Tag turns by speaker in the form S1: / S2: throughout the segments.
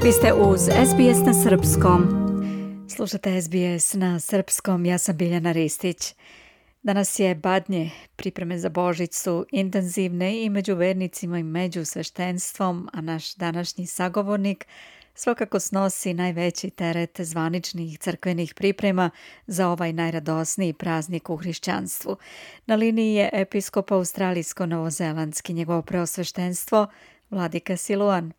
S1: Vi ste uz SBS na srpskom. Slušate SBS na srpskom, ja sam Biljana Ristić. Danas je Badnje, pripreme za Božić su intenzivne i među vernicima i među sveštenstvom, a naš današnji sagovornik svakako snosi najveći teret zvaničnih crkvenih priprema za ovaj najradosniji praznik u hrišćanstvu. Na liniji je episkop australijsko-novozelandski, njegovo preosveštenstvo, Vladika Siluan.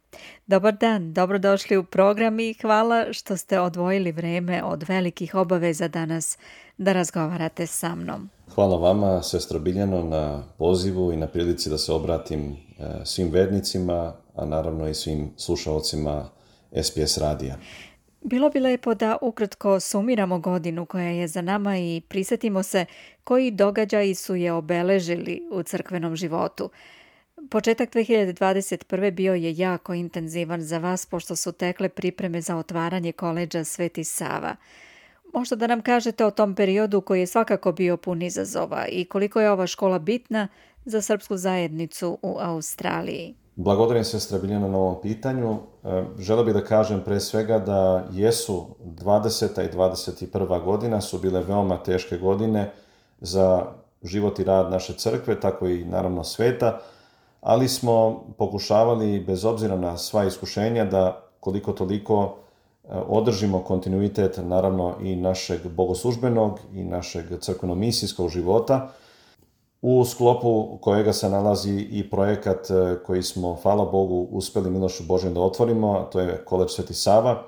S1: Dobar dan, dobrodošli u program i hvala što ste odvojili vreme od velikih obaveza danas da razgovarate sa mnom.
S2: Hvala vama, sestro Biljano, na pozivu i na prilici da se obratim svim vernicima, a naravno i svim slušalcima SBS radija.
S1: Bilo bi lepo da ukratko sumiramo godinu koja je za nama i prisjetimo se koji događaji su je obeležili u crkvenom životu. Početak 2021. bio je jako intenzivan za vas pošto su tekle pripreme za otvaranje koledža Sveti Sava. Možda da nam kažete o tom periodu koji je svakako bio pun izazova i koliko je ova škola bitna za srpsku zajednicu u Australiji.
S2: Благодарим сестра Biljana na ovom pitanju. Želeo bih da kažem pre svega da jesu 20. i 21. godina su bile veoma teške godine za život i rad naše crkve, tako i naravno sveta, ali smo pokušavali, bez obzira na sva iskušenja, da koliko toliko održimo kontinuitet naravno i našeg bogoslužbenog i našeg crkveno-misijskog života, u sklopu kojega se nalazi i projekat koji smo, hvala Bogu, uspeli milošću Božjom da otvorimo, a to je koledž Sveti Sava,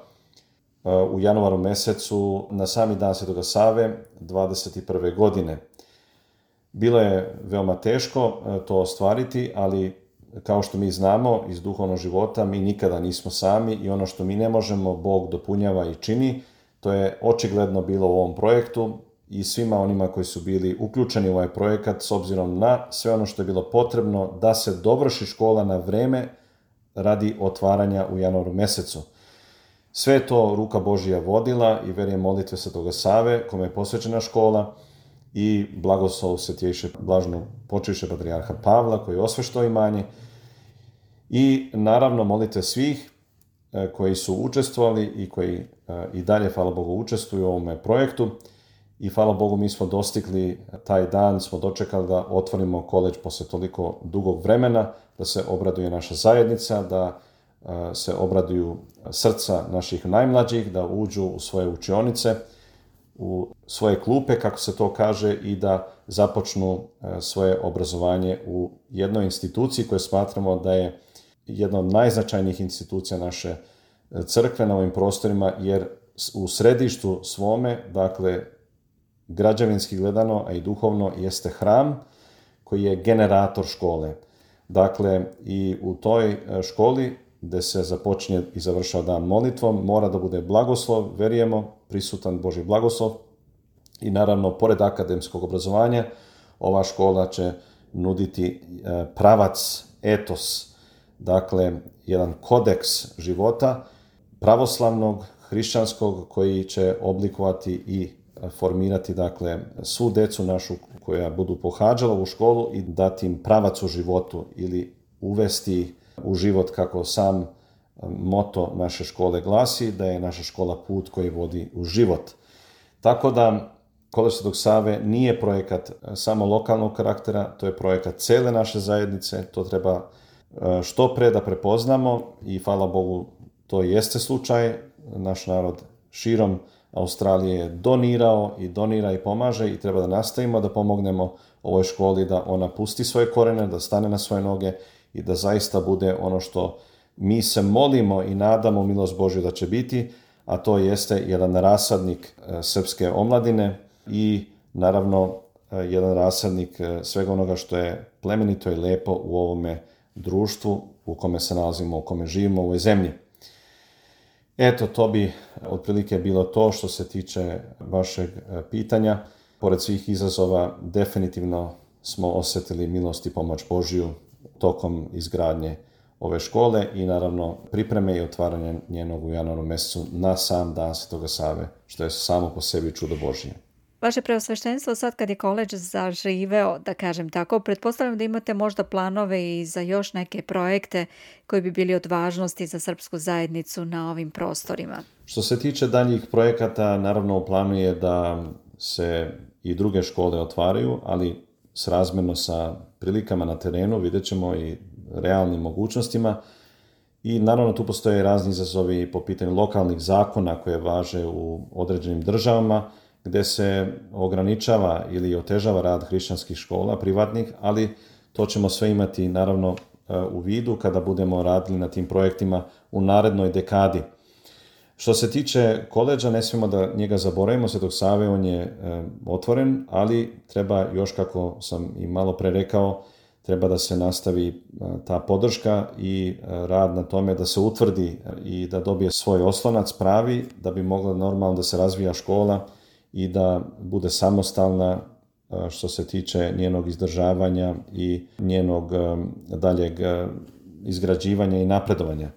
S2: u januaru mesecu na sami dan Svetoga Save 21. godine. Bilo je veoma teško to ostvariti, ali kao što mi znamo iz duhovnog života, mi nikada nismo sami i ono što mi ne možemo, Bog dopunjava i čini. To je očigledno bilo u ovom projektu i svima onima koji su bili uključeni u ovaj projekat s obzirom na sve ono što je bilo potrebno da se dovrši škola na vreme radi otvaranja u januaru mesecu. Sve je to ruka Božja vodila i verujem molitve Svetoga Save, kome je posvećena škola, i blagoslov Svetjejše blažno počivše patrijarha Pavla koji je osveštao imanje i naravno molitve svih koji su učestvovali i koji i dalje, hvala Bogu, učestvuju u ovome projektu i hvala Bogu mi smo dostigli taj dan, smo dočekali da otvorimo koledž posle toliko dugog vremena, da se obraduje naša zajednica, da se obraduju srca naših najmlađih, da uđu u svoje učionice, u svoje klupe, kako se to kaže, i da započnu svoje obrazovanje u jednoj instituciji koju smatramo da je jedna od najznačajnijih institucija naše crkve na ovim prostorima, jer u središtu svome, dakle, građevinski gledano, a i duhovno, jeste hram koji je generator škole. Dakle, i u toj školi gde se započinje i završava dan molitvom, mora da bude blagoslov, verujemo, prisutan Božji blagoslov i naravno, pored akademskog obrazovanja, ova škola će nuditi pravac, etos, dakle, jedan kodeks života pravoslavnog, hrišćanskog, koji će oblikovati i formirati, dakle, svu decu našu koja budu pohađala u školu i dati im pravac u životu ili uvesti u život, kako sam moto naše škole glasi, da je naša škola put koji vodi u život. Tako da koledž Svetog Save nije projekat samo lokalnog karaktera, to je projekat cele naše zajednice, to treba što pre da prepoznamo i hvala Bogu to jeste slučaj. Naš narod širom Australije je donirao i donira i pomaže i treba da nastavimo da pomognemo ovoj školi da ona pusti svoje korene, da stane na svoje noge i da zaista bude ono što mi se molimo i nadamo milost Božju da će biti, a to jeste jedan rasadnik srpske omladine i naravno jedan rasadnik svega onoga što je plemenito i lepo u ovome društvu u kome se nalazimo, u kome živimo u ovoj zemlji. Eto, to bi otprilike bilo to što se tiče vašeg pitanja. Pored svih izazova, definitivno smo osjetili milost i pomoć Božju tokom izgradnje ove škole i naravno pripreme i otvaranje njenog u januaru mesecu na sam dan Svetoga Save, što je samo po sebi čudo Božje.
S1: Vaše preosveštenstvo, sad kad je koledž zaživeo, da kažem tako, pretpostavljam da imate možda planove i za još neke projekte koji bi bili od važnosti za srpsku zajednicu na ovim prostorima.
S2: Što se tiče daljih projekata, naravno u planu je da se i druge škole otvaraju, ali srazmjerno sa prilikama na terenu, vidjet ćemo i realnim mogućnostima. I naravno tu postoje razni izazovi po pitanju lokalnih zakona koje važe u određenim državama, gdje se ograničava ili otežava rad hrišćanskih škola, privatnih, ali to ćemo sve imati naravno u vidu kada budemo radili na tim projektima u narednoj dekadi. Što se tiče koledža, ne smijemo da njega zaboravimo, Svetog Save, on je otvoren, ali treba još, kako sam i malo pre rekao, treba da se nastavi ta podrška i rad na tome da se utvrdi i da dobije svoj oslonac pravi, da bi mogla normalno da se razvija škola i da bude samostalna što se tiče njenog izdržavanja i njenog daljeg izgrađivanja i napredovanja.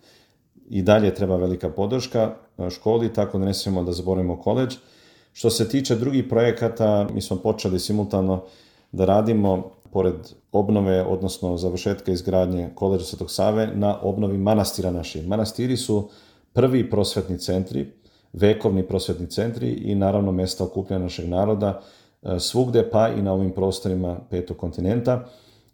S2: I dalje treba velika podrška školi, tako da ne smijemo da zaboravimo koledž. Što se tiče drugih projekata, mi smo počeli simultano da radimo pored obnove, odnosno završetka izgradnje koledža Svetog Save, na obnovi manastira naših. Manastiri su prvi prosvetni centri, vekovni prosvetni centri i naravno mjesta okupljanja našeg naroda svugde, pa i na ovim prostorima petog kontinenta.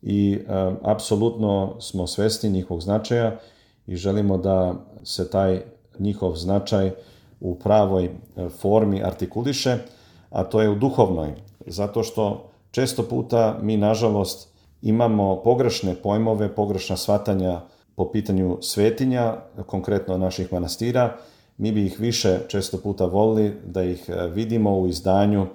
S2: I apsolutno smo svesni njihovog značaja i želimo da se taj njihov značaj u pravoj formi artikuliše, a to je u duhovnoj, zato što često puta mi, nažalost, imamo pogrešne pojmove, pogrešna shvatanja po pitanju svetinja, konkretno naših manastira. Mi bi ih više često puta volili da ih vidimo u izdanju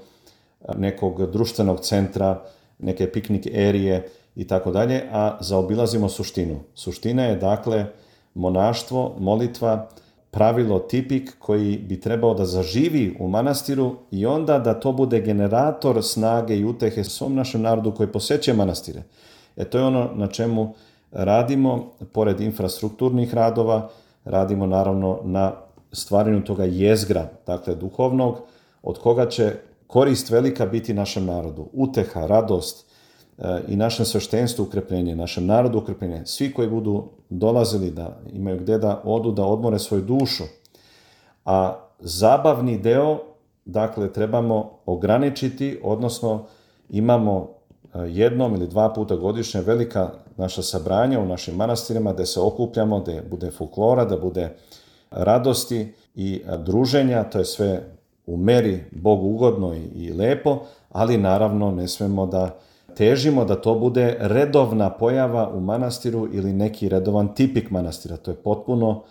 S2: nekog društvenog centra, neke piknik erije i tako dalje, a zaobilazimo suštinu. Suština je dakle monaštvo, molitva, pravilo tipik koji bi trebao da zaživi u manastiru i onda da to bude generator snage i utehe svom našem narodu koji poseće manastire. To je ono na čemu radimo, pored infrastrukturnih radova, radimo naravno na stvaranju toga jezgra, dakle duhovnog, od koga će korist velika biti našem narodu. Uteha, radost i našem sveštenstvu ukrepljenje, našem narodu ukrepljenje. Svi koji budu dolazili da imaju gdje da odu, da odmore svoju dušu. A zabavni deo, dakle, trebamo ograničiti, odnosno imamo jednom ili dva puta godišnje velika naša sabranja u našim manastirima gdje se okupljamo, gdje bude folklora, da bude radosti i druženja, to je sve u meri Bogu ugodno i lepo, ali naravno ne smemo da težimo da to bude redovna pojava u manastiru ili neki redovan tipik manastira. To je potpuno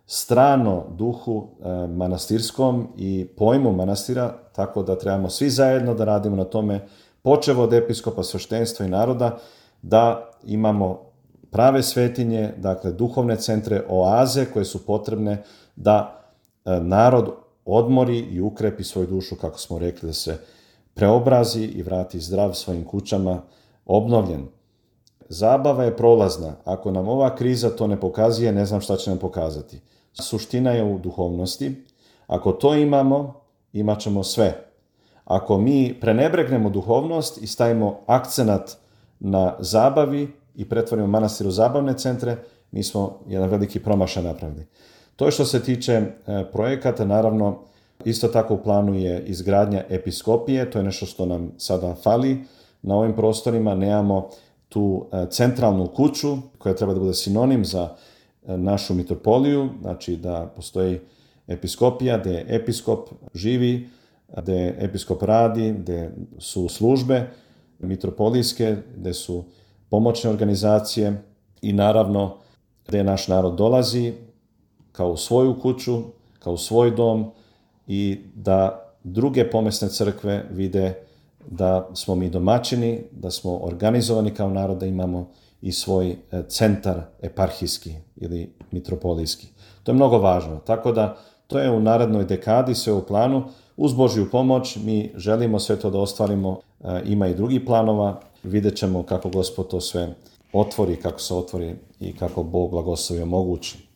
S2: strano duhu manastirskom i pojmu manastira, tako da trebamo svi zajedno da radimo na tome, počev od episkopa, sveštenstva i naroda, da imamo prave svetinje, dakle duhovne centre, oaze koje su potrebne da narod odmori i ukrepi svoju dušu, kako smo rekli, da se preobrazi i vrati zdrav svojim kućama, obnovljen. Zabava je prolazna. Ako nam ova kriza to ne pokazuje, ne znam šta će nam pokazati. Suština je u duhovnosti. Ako to imamo, imat ćemo sve. Ako mi prenebregnemo duhovnost i stavimo akcenat na zabavi i pretvorimo manastir u zabavne centre, mi smo jedan veliki promašaj napravili. To je što se tiče projekata, naravno, isto tako u planu je izgradnja episkopije, to je nešto što nam sada fali na ovim prostorima. Nemamo tu centralnu kuću koja treba da bude sinonim za našu mitropoliju, znači da postoji episkopija gdje episkop živi, gdje episkop radi, gdje su službe mitropolijske, gdje su pomoćne organizacije i naravno gdje naš narod dolazi kao u svoju kuću, kao u svoj dom, i da druge pomesne crkve vide da smo mi domaćini, da smo organizovani kao narod, da imamo i svoj centar eparhijski ili mitropolijski. To je mnogo važno, tako da to je u narednoj dekadi sve u planu. Uz Božju pomoć mi želimo sve to da ostvarimo, ima i drugih planova, vidjet ćemo kako Gospod to sve otvori, kako se otvori i kako Bog blagoslovi omogući.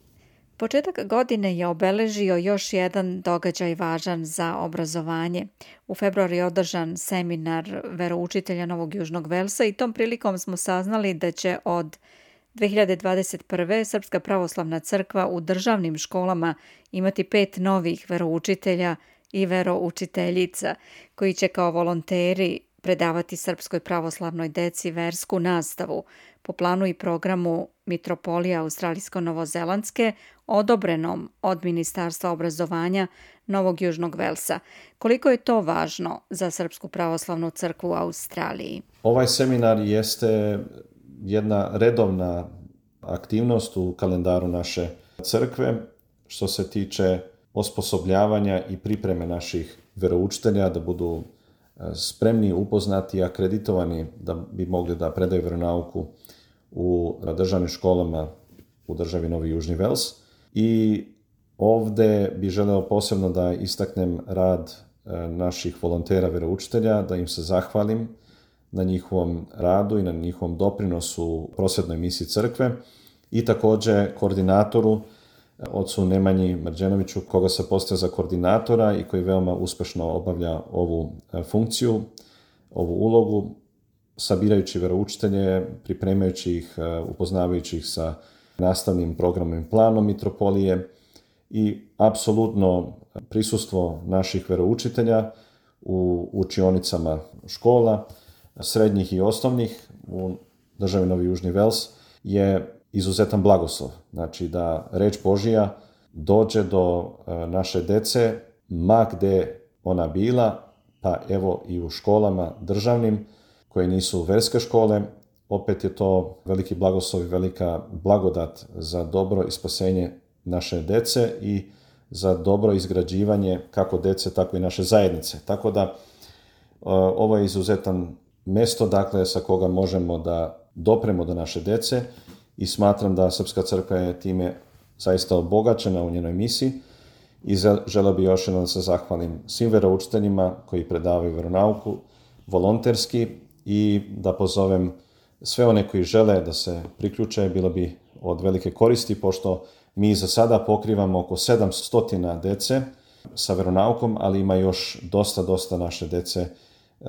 S1: Početak godine je obeležio još jedan događaj važan za obrazovanje. U februaru je održan seminar veroučitelja Novog Južnog Velsa i tom prilikom smo saznali da će od 2021. Srpska pravoslavna crkva u državnim školama imati 5 novih veroučitelja i veroučiteljica koji će kao volonteri predavati srpskoj pravoslavnoj deci versku nastavu po planu i programu Mitropolije Australijsko-Novozelandske odobrenom od Ministarstva obrazovanja Novog Južnog Velsa. Koliko je to važno za Srpsku pravoslavnu crkvu u Australiji?
S2: Ovaj seminar jeste jedna redovna aktivnost u kalendaru naše crkve što se tiče osposobljavanja i pripreme naših veroučitelja da budu spremni, upoznati i akreditovani da bi mogli da predaju vjeronauku u državnim školama u državi Novi Južni Vels. I ovdje bi želeo posebno da istaknem rad naših volontera veroučitelja, da im se zahvalim na njihovom radu i na njihovom doprinosu prosvjetnoj misiji crkve i također koordinatoru, ocu Nemanji Mrđenoviću, koga se postavlja za koordinatora i koji veoma uspešno obavlja ovu funkciju, ovu ulogu, sabirajući veroučitelje, pripremajući ih, upoznavajući ih sa nastavnim programom i planom Mitropolije i apsolutno prisustvo naših veroučitelja u učionicama škola, srednjih i osnovnih u državi Novi Južni Vels je izuzetan blagoslov. Znači da reč Božija dođe do naše dece ma gde ona bila, pa evo i u školama državnim koje nisu verske škole. Opet je to veliki blagoslov i velika blagodat za dobro i spasenje naše dece i za dobro izgrađivanje kako dece, tako i naše zajednice. Tako da ovo je izuzetan mesto, dakle, sa koga možemo da dopremo do naše dece i smatram da Srpska crkva je time zaista obogaćena u njenoj misiji i želeo bi još jednom da se zahvalim svim veroučiteljima koji predavaju veronauku volonterski i da pozovem sve one koji žele da se priključe, bilo bi od velike koristi, pošto mi za sada pokrivamo oko 700 dece sa veronaukom, ali ima još dosta naše dece.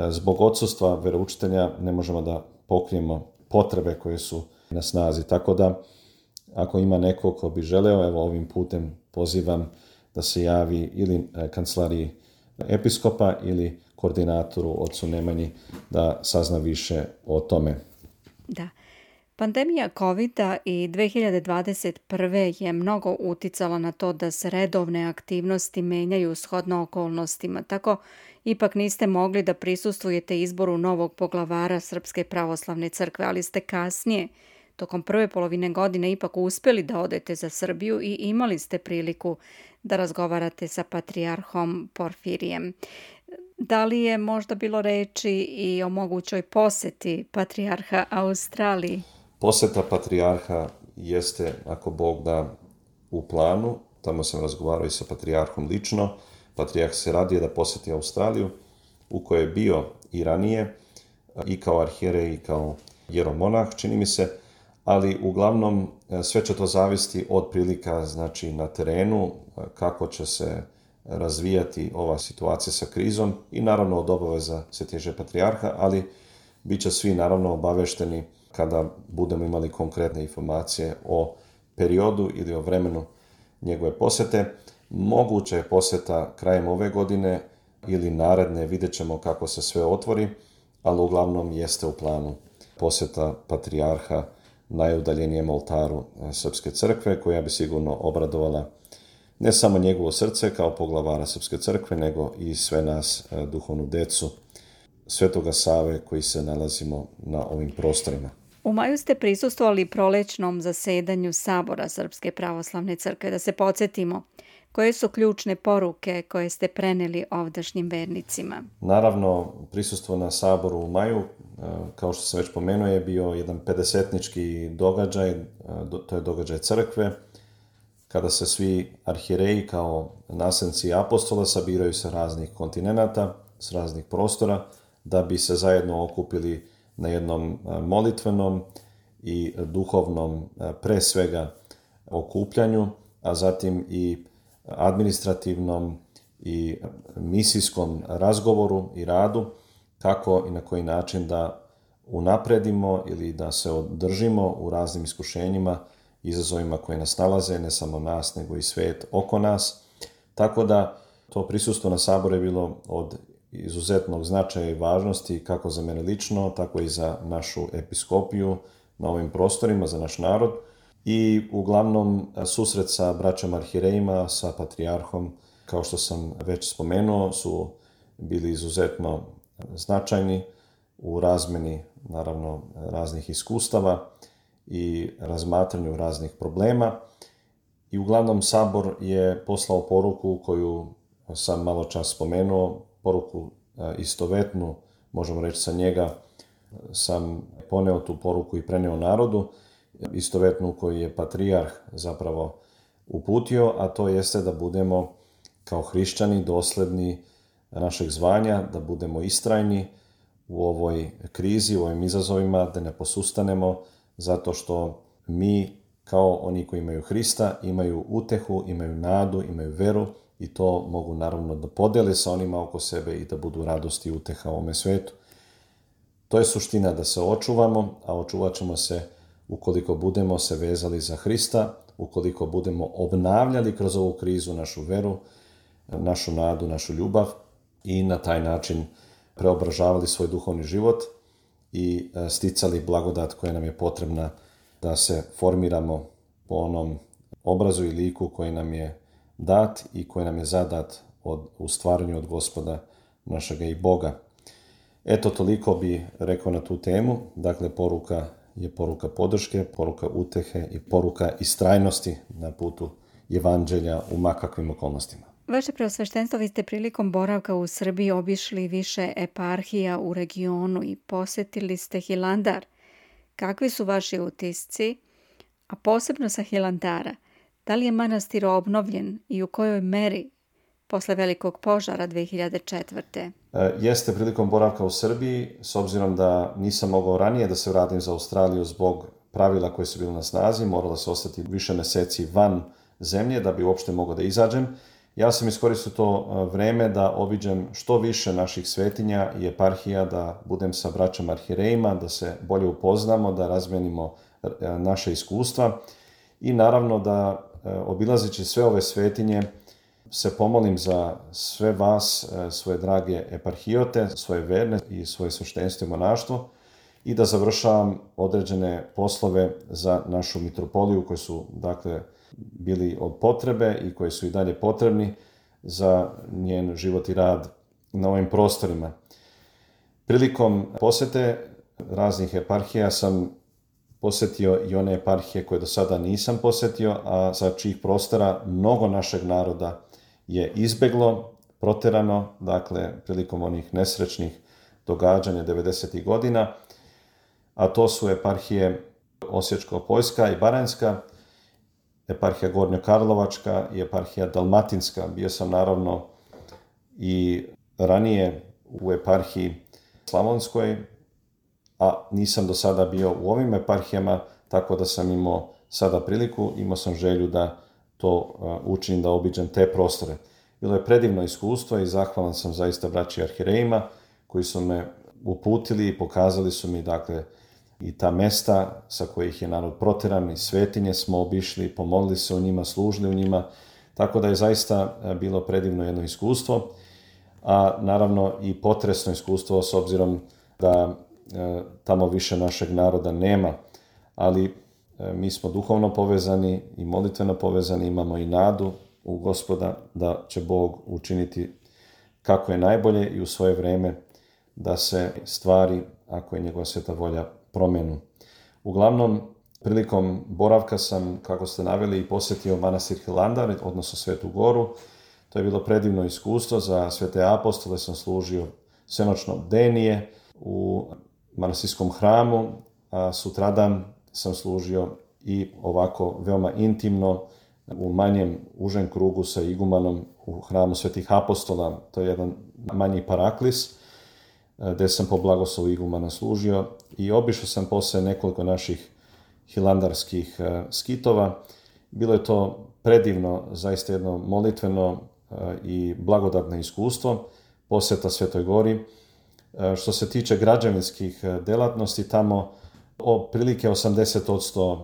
S2: Zbog odsustva veroučitelja ne možemo da pokrijemo potrebe koje su na snazi. Tako da, ako ima neko ko bi želeo, evo ovim putem pozivam da se javi ili kancelariji episkopa ili koordinatoru ocu Nemanji da sazna više o tome.
S1: Da. Pandemija COVID-a i 2021. je mnogo uticala na to da se redovne aktivnosti menjaju shodno okolnostima. Tako ipak niste mogli da prisustvujete izboru novog poglavara Srpske pravoslavne crkve, ali ste kasnije, tokom prve polovine godine, ipak uspeli da odete za Srbiju i imali ste priliku da razgovarate sa patrijarhom Porfirijem. Da li je možda bilo reči i o mogućoj poseti patrijarha Australiji?
S2: Poseta patrijarha jeste, ako Bog da, u planu. Tamo sam razgovarao i sa patrijarhom lično. Patrijarh se radije da poseti Australiju, u kojoj je bio i ranije, i kao arhijerej i kao jeromonah, čini mi se, ali uglavnom sve će to zavisiti od prilika, znači na terenu, kako će se razvijati ova situacija sa krizom i naravno od obaveza Svetejšeg patrijarha, ali bit će svi naravno obavešteni kada budemo imali konkretne informacije o periodu ili o vremenu njegove posete. Moguće je poseta krajem ove godine ili naredne, vidjet ćemo kako se sve otvori, ali uglavnom jeste u planu poseta patrijarha najudaljenijem oltaru Srpske crkve, koja bi sigurno obradovala ne samo njegovo srce kao poglavara Srpske crkve, nego i sve nas, duhovnu decu Svetoga Save koji se nalazimo na ovim prostorima.
S1: U maju ste prisustvovali prolećnom zasedanju Sabora Srpske pravoslavne crkve. Da se podsjetimo, koje su ključne poruke koje ste preneli ovdašnjim vernicima?
S2: Naravno, prisustvo na Saboru u maju, kao što sam već pomenuo, je bio jedan 50-nički događaj, to je događaj crkve, kada se svi arhijereji kao naslednici apostola sabiraju sa raznih kontinenata, s raznih prostora, da bi se zajedno okupili na jednom molitvenom i duhovnom pre svega okupljanju a zatim i administrativnom i misijskom razgovoru i radu, kako i na koji način da unapredimo ili da se održimo u raznim iskušenjima, izazovima koje nas nalaze, ne samo nas, nego i svijet oko nas. Tako da to prisustvo na saboru je bilo od izuzetnog značaja i važnosti kako za mene lično, tako i za našu episkopiju na ovim prostorima, za naš narod. I uglavnom susret sa braćom arhirejima, sa patrijarhom, kao što sam već spomenuo, su bili izuzetno značajni u razmeni, naravno, raznih iskustava i razmatranju raznih problema. I uglavnom sabor je poslao poruku koju sam malo čas spomenuo, poruku istovetnu, možemo reći sa njega sam poneo tu poruku i preneo narodu, istovetnu koju je patrijarh zapravo uputio, a to jeste da budemo kao hrišćani dosledni našeg zvanja, da budemo istrajni u ovoj krizi, u ovim izazovima, da ne posustanemo, zato što mi kao oni koji imaju Hrista imaju utehu, imaju nadu, imaju veru i to mogu naravno da podele sa onima oko sebe i da budu radost i uteha u ovome svetu. To je suština, da se očuvamo, a očuvat ćemo se ukoliko budemo se vezali za Hrista, ukoliko budemo obnavljali kroz ovu krizu našu veru, našu nadu, našu ljubav i na taj način preobražavali svoj duhovni život i sticali blagodat koja nam je potrebna da se formiramo po onom obrazu i liku koji nam je dat i koji nam je zadat u stvaranju od Gospoda našega i Boga. Eto, toliko bi rekao na tu temu. Dakle, poruka je poruka podrške, poruka utehe i poruka istrajnosti na putu evanđelja u makakvim okolnostima.
S1: Vaše preosveštenstvo, vi ste prilikom boravka u Srbiji obišli više eparhija u regionu i posjetili ste Hilandar. Kakvi su vaši utisci, a posebno sa Hilandara? Da li je manastir obnovljen i u kojoj meri posle velikog požara 2004.
S2: Jeste prilikom boravka u Srbiji, s obzirom da nisam mogao ranije da se vratim za Australiju zbog pravila koje su bile na snazi, moralo se ostati više meseci van zemlje da bi uopšte mogao da izađem. Ja sam iskoristio to vreme da obiđem što više naših svetinja i eparhija, da budem sa braćom arhirejima, da se bolje upoznamo, da razmenimo naše iskustva i naravno da obilazeći sve ove svetinje se pomolim za sve vas, svoje drage eparhijote, svoje verne i svoje sveštenstvo i monaštvo i da završavam određene poslove za našu mitropoliju koji su, dakle, bili od potrebe i koji su i dalje potrebni za njen život i rad na ovim prostorima. Prilikom posete raznih eparhija sam posjetio i one eparhije koje do sada nisam posjetio, a sa čijih prostora mnogo našeg naroda je izbeglo, proterano, dakle, prilikom onih nesrećnih događanja 90. godina, a to su eparhije Osječko-Poljska i Baranjska, eparhija Gornjokarlovačka i eparhija Dalmatinska. Bio sam naravno i ranije u eparhiji Slavonskoj, a nisam do sada bio u ovim eparhijama, tako da sam imao sada priliku, imao sam želju da to učinim, da obiđem te prostore. Bilo je predivno iskustvo i zahvalan sam zaista braći arhirejima koji su me uputili i pokazali su mi, dakle, i ta mesta sa kojih je narod proteran i svetinje smo obišli, pomolili se u njima, služili u njima, tako da je zaista bilo predivno jedno iskustvo, a naravno i potresno iskustvo s obzirom da tamo više našeg naroda nema, ali mi smo duhovno povezani i molitveno povezani, imamo i nadu u Gospoda da će Bog učiniti kako je najbolje i u svoje vreme da se stvari, ako je njegova sveta volja, promenu. Uglavnom, prilikom boravka sam, kako ste naveli, posjetio manastir Hilandar, odnosno Svetu Goru. To je bilo predivno iskustvo. Za svete apostole sam služio svenočno bdenije u manastirskom hramu, a sutradan sam služio i ovako veoma intimno u manjem, užem krugu sa igumanom u hramu svetih apostola. To je jedan manji paraklis, gdje sam po blagoslovu igumana služio i obišao sam posle nekoliko naših hilandarskih skitova. Bilo je to predivno, zaista jedno molitveno i blagodatno iskustvo, posjeta Svetoj Gori. Što se tiče građevinskih delatnosti, tamo otprilike 80%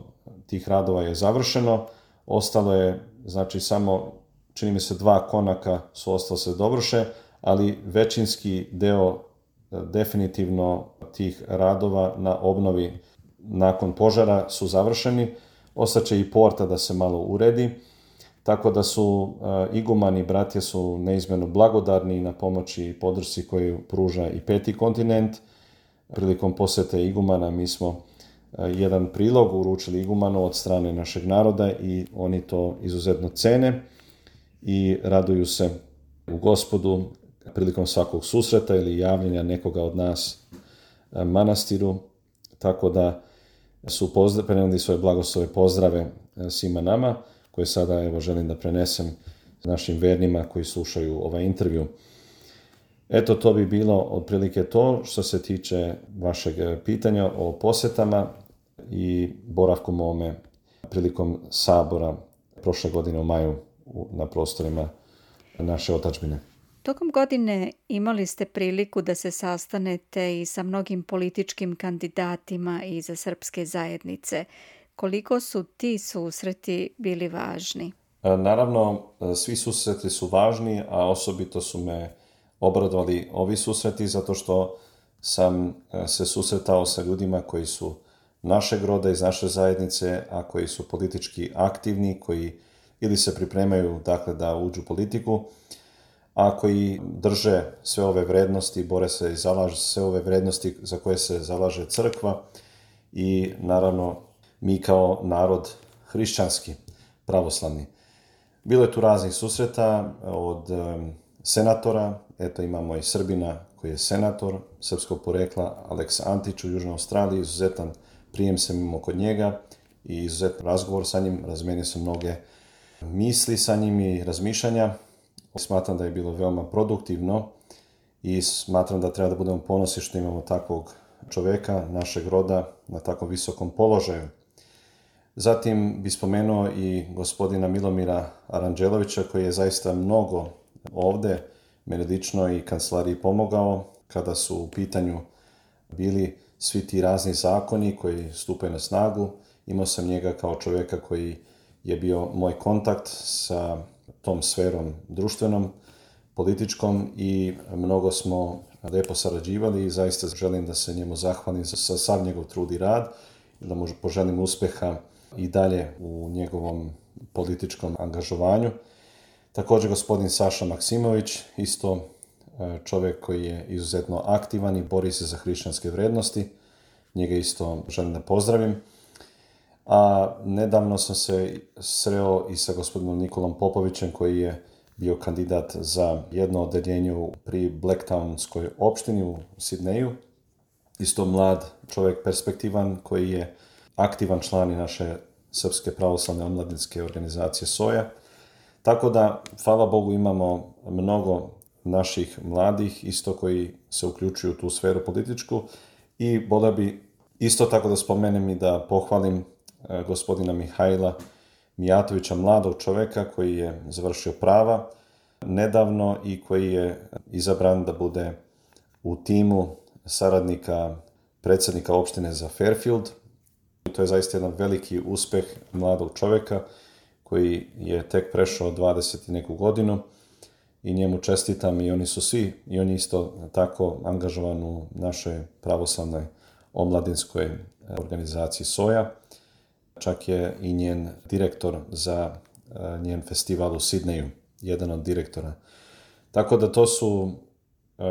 S2: tih radova je završeno, ostalo je znači samo, čini mi se, 2 konaka su ostalo se dovrše, ali većinski deo definitivno tih radova na obnovi nakon požara su završeni. Ostaće i porta da se malo uredi, tako da su igumani i bratje su neizmjerno blagodarni na pomoći i podršci koju pruža i Peti kontinent. Prilikom posjete igumana mi smo jedan prilog uručili igumanu od strane našeg naroda i oni to izuzetno cene i raduju se u Gospodu prilikom svakog susreta ili javljanja nekoga od nas manastiru, tako da su prenijeli svoje blagoslove pozdrave svima nama, koje sada evo želim da prenesem našim vernima koji slušaju ovaj intervju. Eto, to bi bilo otprilike to što se tiče vašeg pitanja o posjetama i boravku mome prilikom sabora prošle godine u maju na prostorima naše otadžbine.
S1: Tokom godine imali ste priliku da se sastanete i sa mnogim političkim kandidatima iz srpske zajednice. Koliko su ti susreti bili važni?
S2: Naravno, svi susreti su važni, a osobito su me obradovali ovi susreti zato što sam se susretao sa ljudima koji su našeg roda, iz naše zajednice, a koji su politički aktivni, koji ili se pripremaju dakle, da uđu u politiku, a koji drže sve ove vrednosti, bore se i zalaže sve ove vrednosti za koje se zalaže crkva i naravno mi kao narod hrišćanski, pravoslavni. Bilo je tu raznih susreta od senatora, eto imamo i Srbina koji je senator srpskog porekla, Aleks Antić u Južnoj Australiji, izuzetan prijem sam imao kod njega i izuzetan razgovor sa njim, razmenio sam mnoge misli sa njim i razmišljanja. Smatram da je bilo veoma produktivno i smatram da treba da budemo ponosni što imamo takvog čoveka, našeg roda, na tako visokom položaju. Zatim bi spomenuo i gospodina Milomira Aranđelovića koji je zaista mnogo ovde, meni lično i kancelariji pomogao kada su u pitanju bili svi ti razni zakoni koji stupaju na snagu. Imao sam njega kao čoveka koji je bio moj kontakt sa tom sferom društvenom, političkom i mnogo smo lepo sarađivali i zaista želim da se njemu zahvalim za sav njegov trud i rad i da mu poželim uspeha i dalje u njegovom političkom angažovanju. Također gospodin Saša Maksimović, isto čovjek koji je izuzetno aktivan i bori se za hrišćanske vrednosti. Njega isto želim da pozdravim. A nedavno sam se sreo i sa gospodinom Nikolom Popovićem koji je bio kandidat za jedno odeljenje pri Blacktownskoj opštini u Sidneju. Isto mlad čovjek, perspektivan, koji je aktivan član i naše Srpske pravoslavne omladinske organizacije SOJA. Tako da, hvala Bogu, imamo mnogo naših mladih isto koji se uključuju u tu sferu političku i voleo bi isto tako da spomenem i da pohvalim gospodina Mihajla Mijatovića, mladog čoveka koji je završio prava nedavno i koji je izabran da bude u timu saradnika predsjednika opštine za Fairfield. To je zaista jedan veliki uspeh mladog čoveka koji je tek prešao 20 i neku godinu i njemu čestitam i oni su svi, i on je isto tako angažovan u našoj pravoslavnoj omladinskoj organizaciji SOJA. Čak je i njen direktor za njen festival u Sidneju, jedan od direktora. Tako da to su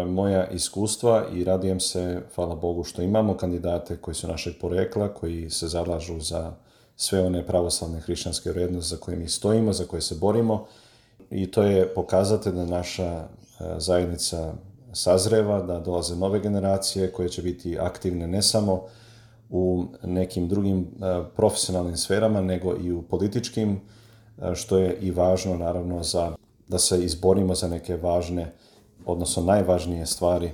S2: moja iskustva i radujem se, hvala Bogu, što imamo kandidate koji su našeg porekla, koji se zalažu za sve one pravoslavne hrišćanske vrijednosti za koje mi stojimo, za koje se borimo. I to je pokazatelj da naša zajednica sazreva, da dolaze nove generacije koje će biti aktivne ne samo u nekim drugim profesionalnim sferama, nego i u političkim, što je i važno naravno da se izborimo za neke važne, odnosno najvažnije stvari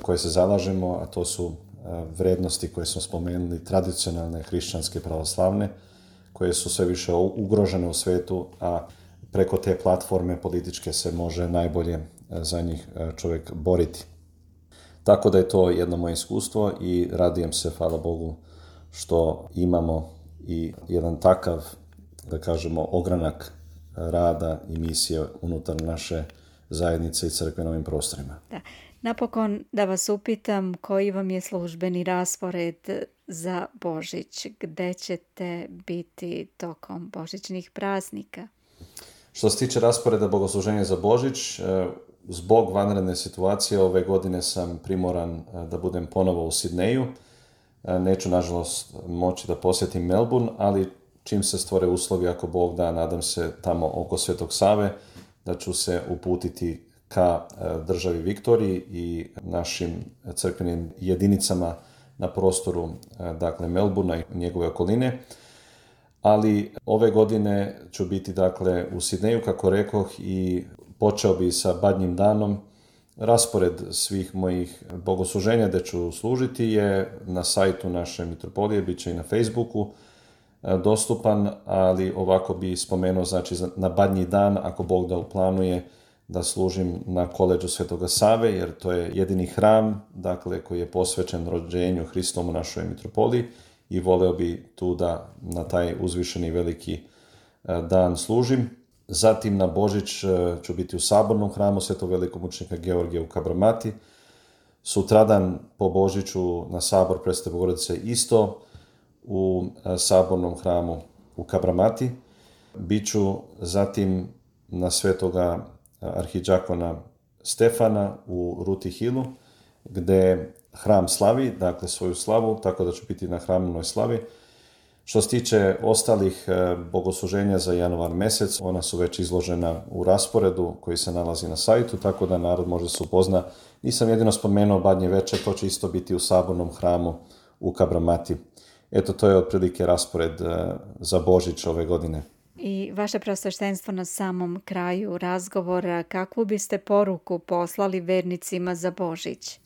S2: koje se zalažemo, a to su vrednosti koje smo spomenuli, tradicionalne, hrišćanske, pravoslavne, koje su sve više ugrožene u svijetu, a preko te platforme političke se može najbolje za njih čovjek boriti. Tako da je to jedno moje iskustvo i radujem se, hvala Bogu, što imamo i jedan takav, da kažemo, ogranak rada i misije unutar naše zajednice i crkve na ovim prostorima.
S1: Da. Napokon da vas upitam koji vam je službeni raspored za Božić, gde ćete biti tokom božićnih praznika?
S2: Što se tiče rasporeda bogosluženja za Božić, zbog vanredne situacije ove godine sam primoran da budem ponovo u Sidneju. Neću, nažalost, moći da posjetim Melbourne, ali čim se stvore uslovi, ako Bog da, nadam se tamo oko Svetog Save, da ću se uputiti ka državi Viktoriji i našim crkvenim jedinicama na prostoru, dakle, Melbournea i njegove okoline. Ali ove godine ću biti, dakle, u Sidneju, kako rekoh, i počeo bi sa Badnjim danom. Raspored svih mojih bogosluženja gdje ću služiti je na sajtu naše mitropolije, bit će i na Facebooku dostupan, ali ovako bi spomenuo, znači, na Badnji dan, ako Bog da uplanuje, da služim na koleđu Svetoga Save, jer to je jedini hram, dakle, koji je posvećen rođenju Hristovom u našoj mitropoliji, i voleo bi tu da na taj uzvišeni veliki dan služim. Zatim na Božić ću biti u sabornom hramu Svetog velikog mučenika Georgija u Kabramati. Sutradan po Božiću na sabor Presvete Bogorodice isto u sabornom hramu u Kabramati. Biću zatim na Svetoga arhidžakona Stefana u Ruti Hillu, gdje hram slavi, dakle, svoju slavu, tako da ću biti na hramnoj slavi. Što se tiče ostalih bogosluženja za januar mjesec, ona su već izložena u rasporedu koji se nalazi na sajtu, tako da narod može se upozna. Nisam jedino spomenuo Badnje večer, to će isto biti u sabornom hramu u Kabramati. Eto, to je otprilike raspored za Božić ove godine.
S1: I vaše preosveštenstvo, na samom kraju razgovora, kakvu biste poruku poslali vernicima za Božić?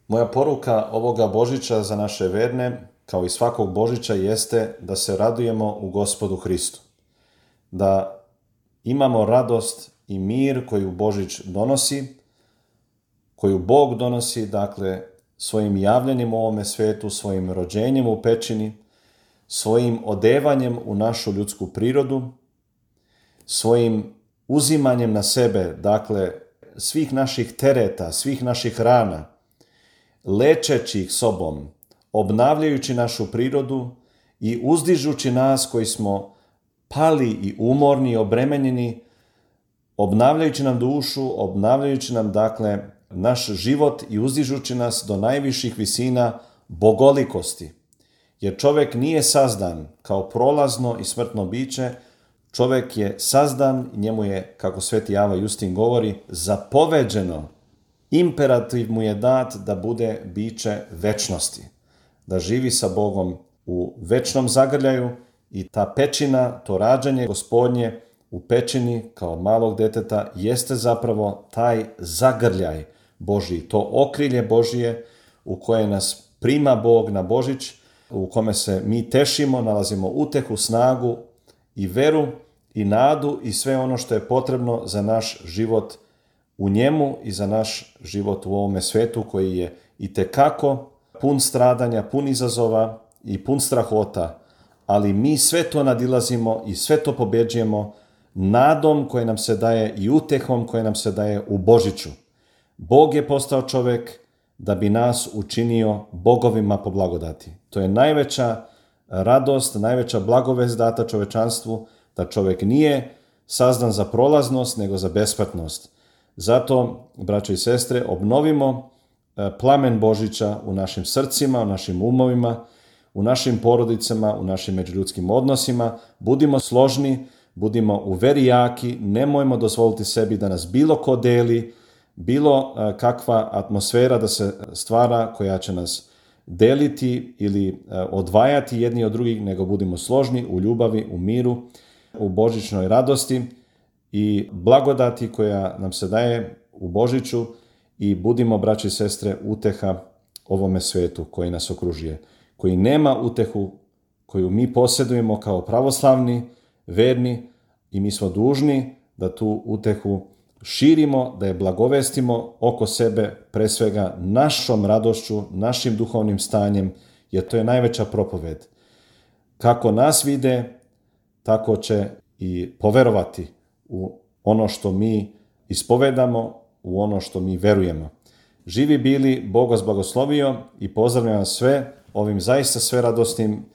S2: Moja poruka ovoga Božića za naše verne, kao i svakog Božića, jeste da se radujemo u Gospodu Hristu. Da imamo radost i mir koju Božić donosi, koju Bog donosi, dakle, svojim javljanjem u ovome svetu, svojim rođenjem u pećini, svojim odevanjem u našu ljudsku prirodu, svojim uzimanjem na sebe, dakle, svih naših tereta, svih naših rana, lečeći ih sobom, obnavljajući našu prirodu i uzdižući nas koji smo pali i umorni i obremenjeni, obnavljajući nam dušu, obnavljajući nam, dakle, naš život i uzdižući nas do najviših visina bogolikosti. Jer čovjek nije sazdan kao prolazno i smrtno biće, čovjek je sazdan, njemu je, kako sveti Java Justin govori, zapoveđeno, imperativ mu je dat da bude biće večnosti, da živi sa Bogom u večnom zagrljaju, i ta pećina, to rađanje Gospodnje u pećini kao malog deteta jeste zapravo taj zagrljaj Božji, to okrilje Božije u koje nas prima Bog na Božić, u kome se mi tešimo, nalazimo utehu, snagu i veru i nadu i sve ono što je potrebno za naš život u njemu i za naš život u ovome svetu koji je itekako pun stradanja, pun izazova i pun strahota, ali mi sve to nadilazimo i sve to pobjeđujemo nadom koje nam se daje i utehom koje nam se daje u Božiću. Bog je postao čovjek da bi nas učinio bogovima po blagodati. To je najveća radost, najveća blagovest data čovečanstvu, da čovjek nije sazdan za prolaznost, nego za besmrtnost. Zato, braćo i sestre, obnovimo plamen Božića u našim srcima, u našim umovima, u našim porodicama, u našim međuljudskim odnosima. Budimo složni, budimo u veri jaki, nemojmo dozvoliti sebi da nas bilo ko deli, bilo kakva atmosfera da se stvara koja će nas deliti ili odvajati jedni od drugih, nego budimo složni u ljubavi, u miru, u božićnoj radosti i blagodati koja nam se daje u Božiću, i budimo, braći i sestre, uteha ovome svetu koji nas okružuje, koji nema utehu koju mi posjedujemo kao pravoslavni, verni, i mi smo dužni da tu utehu širimo, da je blagovestimo oko sebe, pre svega našom radošću, našim duhovnim stanjem, jer to je najveća propoved. Kako nas vide, tako će i poverovati u ono što mi ispovedamo, u ono što mi verujemo. Živi bili, Bog vas blagoslovio i pozdravljam vas sve ovim zaista sve radosnim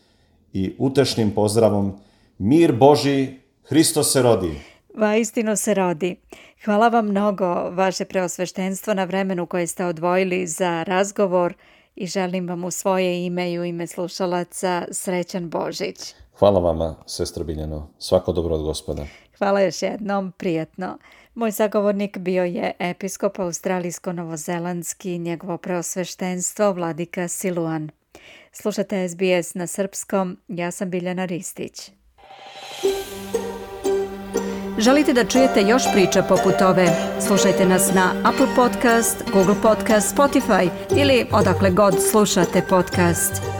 S2: i utešnim pozdravom. Mir Božji, Hristos se rodi.
S1: Vaistinu se rodi. Hvala vam mnogo, vaše preosveštenstvo, na vremenu koje ste odvojili za razgovor i želim vam u svoje ime i u ime slušalaca srećan Božić.
S2: Hvala vama, sestra Biljano. Svako dobro od Gospoda.
S1: Hvala još jednom, prijatno. Moj sagovornik bio je episkop australijsko-novozelandski, njegovo preosveštenstvo vladika Siluan. Slušate SBS na srpskom, ja sam Biljana Ristić. Želite da čujete još priča poput ove? Slušajte nas na Apple Podcast, Google Podcast, Spotify ili odakle god slušate podcast.